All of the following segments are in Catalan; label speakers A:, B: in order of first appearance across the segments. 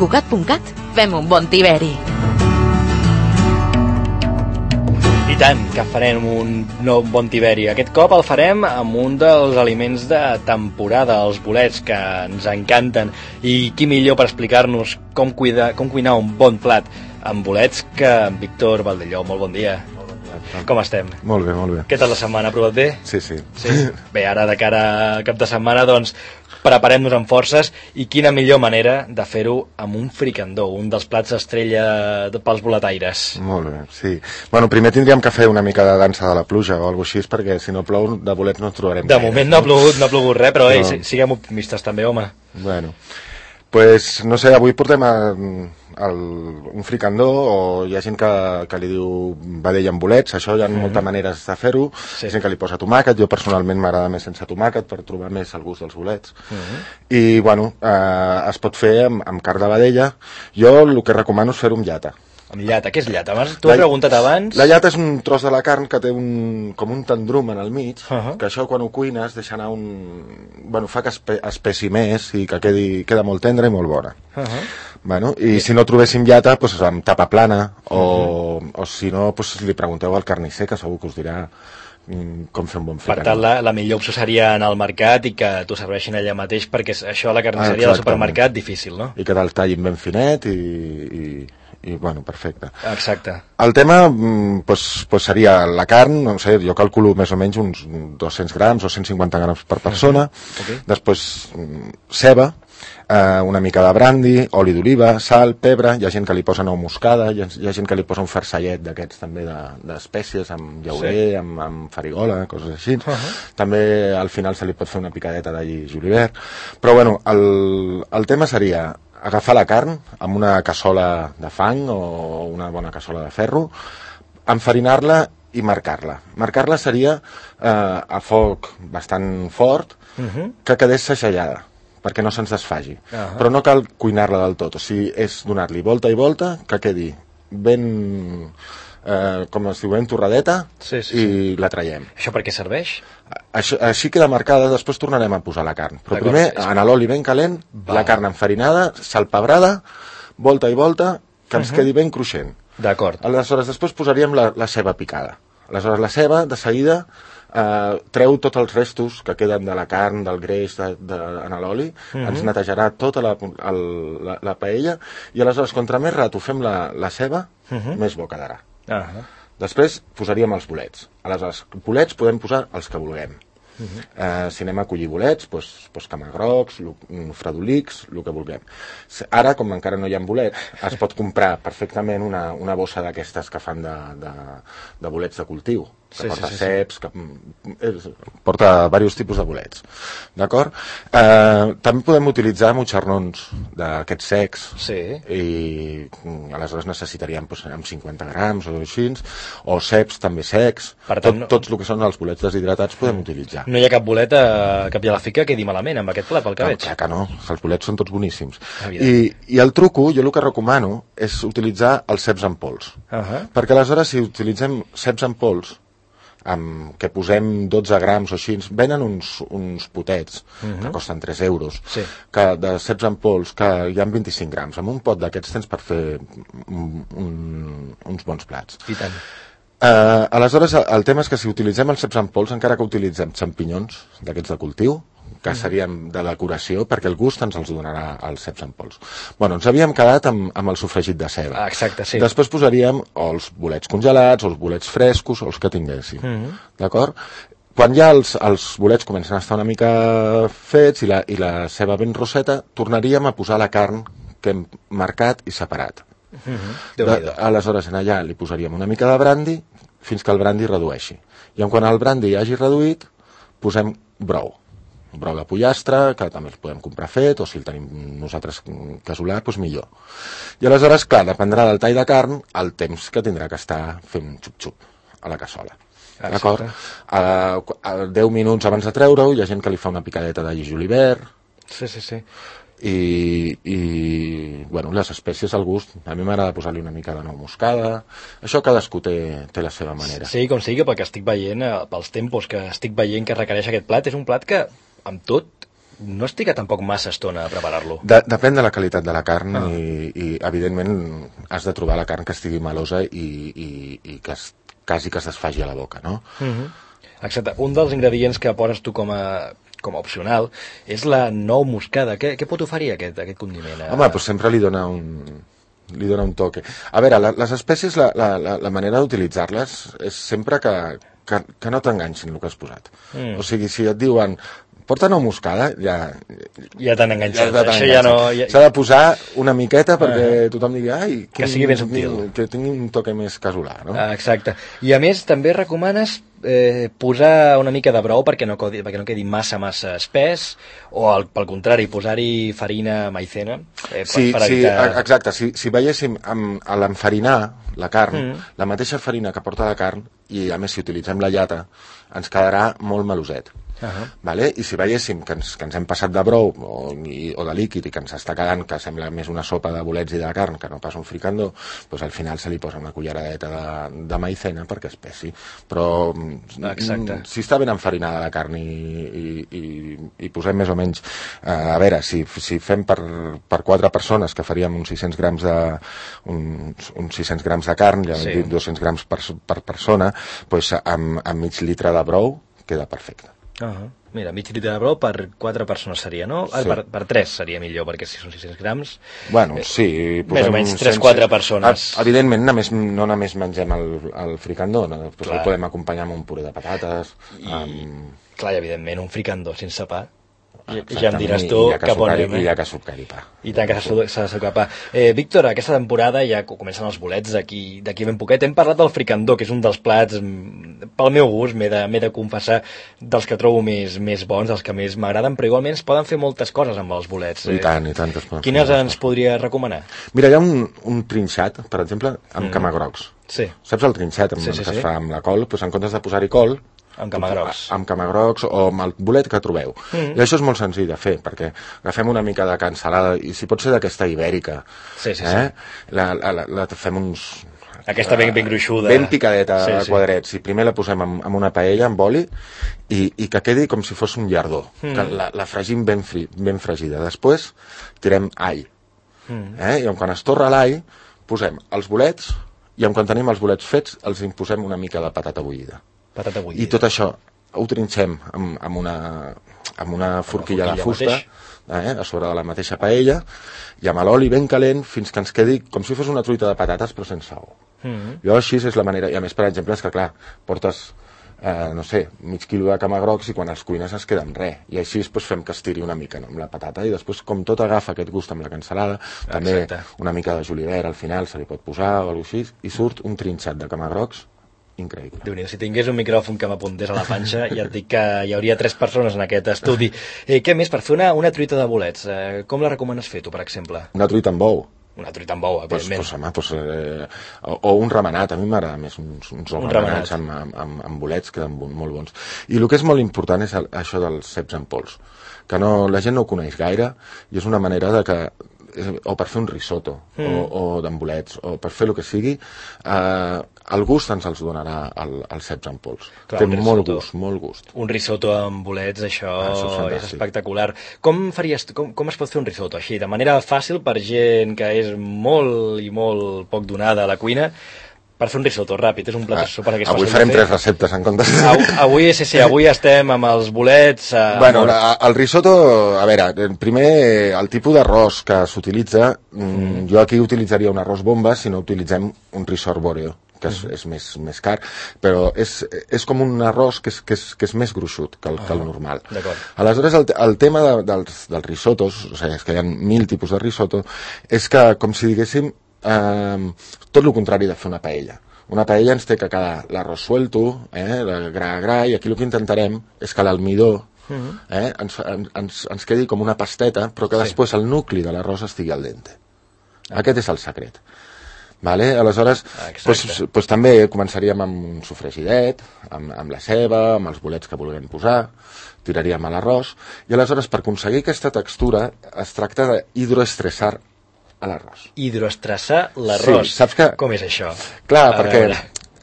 A: Cugat.cat fem un bon tiberi.
B: I tant, que farem un bon tiberi. Aquest cop el farem amb un dels aliments de temporada, els bolets, que ens encanten. I qui millor per explicar-nos com cuinar un bon plat amb bolets que en Víctor Valdelló. Molt bon dia. Com estem?
C: Molt bé, molt bé.
B: Què tal la setmana? Ha provat bé?
C: Sí, sí.
B: Bé, ara de cara a cap de setmana, doncs, preparem-nos amb forces, i quina millor manera de fer-ho amb un fricandó, un dels plats estrella pels boletaires.
C: Molt bé, sí. Bueno, primer tindríem que fer una mica de dansa de la pluja o alguna cosa així, perquè si no plou de bolets no ens trobarem
B: De moment no ha plogut res, però siguem optimistes també, home.
C: Bueno, pues, no sé, avui portem un fricandó, o hi ha gent que li diu vedella amb bolets. Això hi ha moltes maneres de fer-ho. Hi ha gent que li posa tomàquet, jo personalment m'agrada més sense tomàquet per trobar més el gust dels bolets. I bueno, es pot fer amb carn de vedella. Jo el que recomano és fer-ho amb llata.
B: Amb llata, què és llata? T'ho he preguntat abans.
C: La llata és un tros de la carn que té com un tendrum en el mig, que això quan ho cuines deixa anar bueno, fa que espessi més i que queda molt tendra i molt bona. Bueno, i si no trobéssim llata, doncs amb tapa plana, o si no, doncs li pregunteu al carnisser, que segur que us dirà com fer un bon fricandó.
B: Per tant, la millor opció seria anar al mercat i que t'ho serveixin allà mateix, perquè això a la carnisseria del supermercat, difícil, no?
C: I que te'l tallin ben finet i bueno, perfecte.
B: Exacte.
C: El tema pues seria la carn, no sé, jo calculo més o menys uns 200 grams o 150 grams per persona. Després ceba, una mica de brandi, oli d'oliva, sal, pebre. Hi ha gent que li posa nou moscada, hi ha gent que li posa un farcellet d'aquests també d'espècies, amb llaurer, amb farigola, coses així. També al final se li pot fer una picadeta d'all julivert. Però bueno, el tema seria agafar la carn amb una cassola de fang o una bona cassola de ferro, enfarinar-la i marcar-la. Marcar-la seria a foc bastant fort, que quedés segellada, perquè no se'ns desfagi. Però no cal cuinar-la del tot, o sigui, és donar-li volta i volta, que quedi ben, com es diu, ben torradeta, i la traiem.
B: Això per què serveix?
C: Així queda marcada, després tornarem a posar la carn. Però primer, en l'oli ben calent, la carn enfarinada, salpebrada, volta i volta, que ens quedi ben cruixent.
B: D'acord.
C: Aleshores, després posaríem la ceba picada. Aleshores, la ceba, de seguida, treu tots els restos que queden de la carn, del greix en l'oli, ens netejarà tota la paella, i aleshores, contra més rato fem la ceba, més bo quedarà. Després posaríem els bolets. Aleshores, bolets podem posar els que vulguem. Si anem a collir bolets, doncs camagrocs, fredolics, el que vulguem. Ara, com encara no hi ha bolets, es pot comprar perfectament una bossa d'aquestes que fan de bolets de cultiu, que porta ceps, que porta diversos tipus de bolets. D'acord? També podem utilitzar motxarrons d'aquests secs, i aleshores necessitaríem amb 50 grams o així, o ceps també secs. Tots el que són els bolets deshidratats podem utilitzar.
B: No hi ha cap bolet cap i a la fi que quedi malament amb aquest plat, pel que veig.
C: Clar que no, els bolets són tots boníssims. I el truco, jo el que recomano és utilitzar els ceps en pols. Perquè aleshores, si utilitzem ceps en pols, que posem 12 grams o així, venen uns potets que costen 3 euros, de ceps en pols, que hi ha 25 grams. Amb un pot d'aquests tens per fer uns bons plats.
B: I tant.
C: Aleshores, el tema és que si utilitzem els ceps en pols, encara que utilitzem xampinyons d'aquests de cultiu, que serien de decoració, perquè el gust ens els donarà els ceps en pols. Bueno, ens havíem quedat amb el sofregit de ceba.
B: Exacte, sí.
C: Després posaríem els bolets congelats, o els bolets frescos, o els que tinguéssim. D'acord? Quan ja els bolets comencen a estar una mica fets i la ceba ben roseta, tornaríem a posar la carn que hem marcat i separat. Aleshores, allà li posaríem una mica de brandi fins que el brandi redueixi. I quan el brandi hagi reduït, posem brou de pollastre, que també el podem comprar fet, o si el tenim nosaltres casolà, doncs millor. I aleshores, clar, dependrà del tall de carn el temps que tindrà que estar fent xup-xup a la cassola. D'acord? 10 minuts abans de treure-ho, hi ha gent que li fa una picadeta d'all julivert.
B: Sí.
C: I bueno, les espècies al gust, a mi m'agrada posar-li una mica de nou moscada. Això cadascú té la seva manera.
B: Sí, com sigui, perquè estic veient pels tempos que estic veient que requereix aquest plat, és un plat que amb tot no es triga tampoc massa estona a preparar-lo.
C: Depèn de la qualitat de la carn i evidentment has de trobar la carn que estigui melosa i que quasi que es desfaci a la boca, no?
B: Exacte. Un dels ingredients que poses tu com a opcional és la nou moscada. Què pot oferir aquest condiment?
C: Home, doncs sempre li dona un toque. A veure, les espècies, la manera d'utilitzar-les és sempre que no t'enganxin el que has posat. O sigui, si et diuen porta nou moscada,
B: ja t'han enganxat. Això ja no...
C: S'ha de posar una miqueta perquè tothom digui
B: que sigui ben subtil.
C: Que tingui un toque més casolà, no?
B: Exacte. I a més, també recomanes posar una mica de brou perquè no quedi massa espès, o pel contrari, posar-hi farina maicena per evitar...
C: Exacte. Si veiéssim a l'enfarinar la carn, la mateixa farina que porta la carn, i a més si utilitzem la llata, ens quedarà molt meloset. Vale? I si veiéssim que ens hem passat de brou o de líquid i que ens està quedant que sembla més una sopa de bolets i de carn que no pas un fricandó, doncs al final se li posa una culleradeta de maicena perquè espessi, però si està ben enfarinada la carn i posem més o menys a veure, si fem per 4 persones que faríem uns 600 grams de carn, ja hem dit 200 grams per persona, doncs amb mig litre de brou queda perfecte.
B: Mira, mig litre de brou per 4 persones seria, no? Sí. Per 3 seria millor, perquè si són 600 grams...
C: Bueno, sí.
B: Més o menys 3-4 persones.
C: Evidentment, no només mengem el fricandó, el podem acompanyar amb un puré de patates...
B: Clar, i evidentment, un fricandó sense pa. Ja em diràs tu cap on anem.
C: I ja que sucar i pa.
B: I tant que s'ha de sucar pa. Víctor, aquesta temporada ja comencen els bolets d'aquí ben poquet. Hem parlat del fricandó, que és un dels plats, pel meu gust, m'he de confessar, dels que trobo més bons, dels que més m'agraden, però igualment es poden fer moltes coses amb els bolets.
C: I tant.
B: Quines ens podria recomanar?
C: Mira, hi ha un trinxat, per exemple, amb camagrocs.
B: Sí.
C: Saps el trinxat que es fa amb la col? Doncs en comptes de posar-hi col,
B: amb camagrocs.
C: Amb camagrocs o amb el bolet que trobeu. I això és molt senzill de fer, perquè agafem una mica de cansalada, i si pot ser d'aquesta ibèrica, la fem uns...
B: Aquesta ben gruixuda.
C: Ben picadeta a quadrets. I primer la posem en una paella, amb oli, i que quedi com si fos un llardó. Que la fregim ben fregida. Després tirem all. I quan es torra l'all, posem els bolets, i quan tenim els bolets fets, els imposem una mica de patata bullida. I tot això ho trinxem amb una forquilla de fusta a sobre de la mateixa paella i amb l'oli ben calent fins que ens quedi com si fos una truita de patates però sense ou. Jo així és la manera, i a més per exemple és que clar, portes no sé, mig quilo de camagrocs i quan els cuines es queda amb res, i així després fem que es tiri una mica amb la patata, i després com tot agafa aquest gust amb la cansalada, també una mica de julivert al final se li pot posar o alguna cosa així, i surt un trinxat de camagrocs increïble.
B: Déu-n'hi-do, si tingués un micròfon que m'apuntés a la panxa, ja et dic que hi hauria 3 persones en aquest estudi. Què més? Per fer una truita de bolets, com la recomanes fer tu, per exemple?
C: Una truita amb ou.
B: Una truita amb ou, evidentment.
C: O un remenat, a mi m'agrada més uns remenats amb bolets, queden molt bons. I el que és molt important és això dels ceps en pols, que la gent no ho coneix gaire, i és una manera de que o per fer un risotto o d'embolets o per fer el que sigui, el gust ens els donarà els ceps en pols. Té molt gust.
B: Un risotto amb bolets, això és espectacular. Com es pot fer un risotto així? De manera fàcil per gent que és molt i molt poc donada a la cuina, per fer un risotto ràpid, és un plat de sopa que és fàcil de fer.
C: Avui farem 3 receptes en comptes.
B: Avui estem amb els bolets.
C: Bueno, el risotto, a veure, primer el tipus d'arròs que s'utilitza, jo aquí utilitzaria un arròs bomba si no utilitzem un risotto arbóreo, que és més car, però és com un arròs que és més gruixut que el normal. Aleshores, el tema dels risottos, o sigui, és que hi ha 1000 tipus de risotto, és que, com si diguéssim, tot el contrari de fer una paella. Una paella ens té que quedar l'arròs suelto, gra, i aquí el que intentarem és que l'almidó ens quedi com una pasteta, però que després el nucli de l'arròs estigui al dente. Aquest és el secret. Aleshores, també començaríem amb un sofregidet, amb la ceba, amb els bolets que vulguem posar, tiraríem a l'arròs, i aleshores per aconseguir aquesta textura es tracta d'hidroestressar a l'arròs.
B: Hidroestressar l'arròs?
C: Sí, saps que...
B: Com és això?
C: Clar, perquè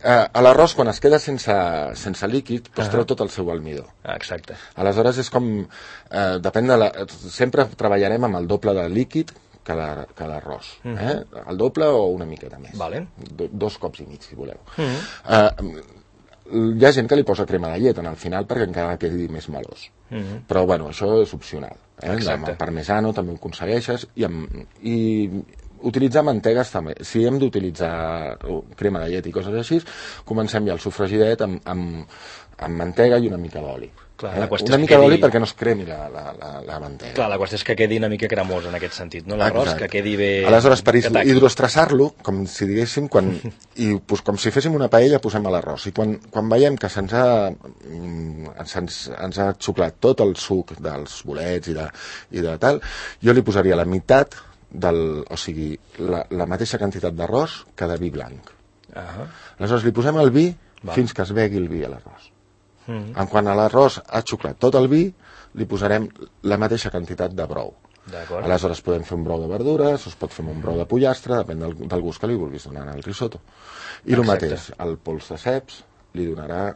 C: a l'arròs, quan es queda sense líquid, doncs treu tot el seu almidó.
B: Exacte.
C: Aleshores és com... depèn sempre treballarem amb el doble de líquid que l'arròs. El doble o una miqueta més.
B: Vale.
C: 2 cops i mig, si voleu. Hi ha gent que li posa crema de llet al final perquè encara quedi més melós. Però, bueno, això és opcional. Amb el parmesano també ho aconsegueixes i utilitzar mantegues també. Si hem d'utilitzar crema de llet i coses així, comencem ja el sofregidet amb mantega i una mica d'oli. Una mica d'oli perquè no es cremi la mantega.
B: Clar, la qüestió és que quedi una mica cremós en aquest sentit, no? L'arròs, que quedi bé...
C: Aleshores, per hidroestressar-lo, com si diguéssim, com si féssim una paella, posem a l'arròs. I quan veiem que ens ha xuclat tot el suc dels bolets i de tal, jo li posaria la meitat o sigui, la mateixa quantitat d'arròs que de vi blanc. Aleshores, li posem el vi fins que es begui el vi a l'arròs. Quan a l'arròs ha xuclat tot el vi, li posarem la mateixa quantitat de brou. Aleshores podem fer un brou de verdures, es pot fer un brou de pollastre, depèn del gust que li vulguis donar al risotto. I el mateix, el pols de ceps li donarà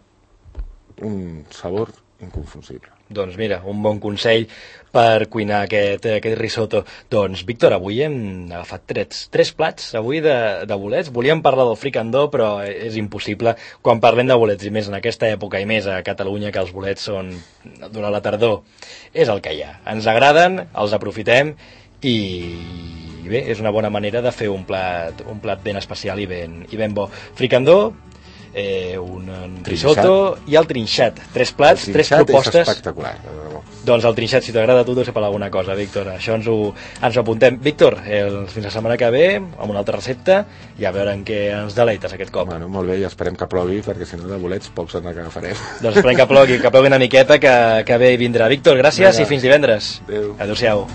C: un sabor inconfusible.
B: Doncs mira, un bon consell per cuinar aquest risotto. Doncs, Víctor, avui hem agafat 3 plats avui de bolets. Volíem parlar del fricandó, però és impossible. Quan parlem de bolets, i més en aquesta època, i més a Catalunya, que els bolets són durant la tardor, és el que hi ha. Ens agraden, els aprofitem i bé, és una bona manera de fer un plat ben especial i ben bo. Fricandó, un risotto i el trinxat. 3 plats, 3 propostes.
C: És espectacular.
B: Doncs el trinxat, si t'agrada a tu, deu ser per alguna cosa, Víctor. Això ens ho apuntem. Víctor, fins la setmana que ve, amb una altra recepta, i a veure en què ens deleites aquest cop.
C: Bueno, molt bé, i esperem que plogui, perquè si no de bolets pocs en agafarem.
B: Doncs esperem que plogui una miqueta, que bé vindrà. Víctor, gràcies i fins divendres. Adéu-siau.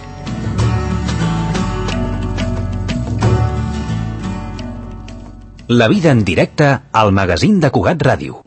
D: La vida en directe al magazín de Cugat Ràdio.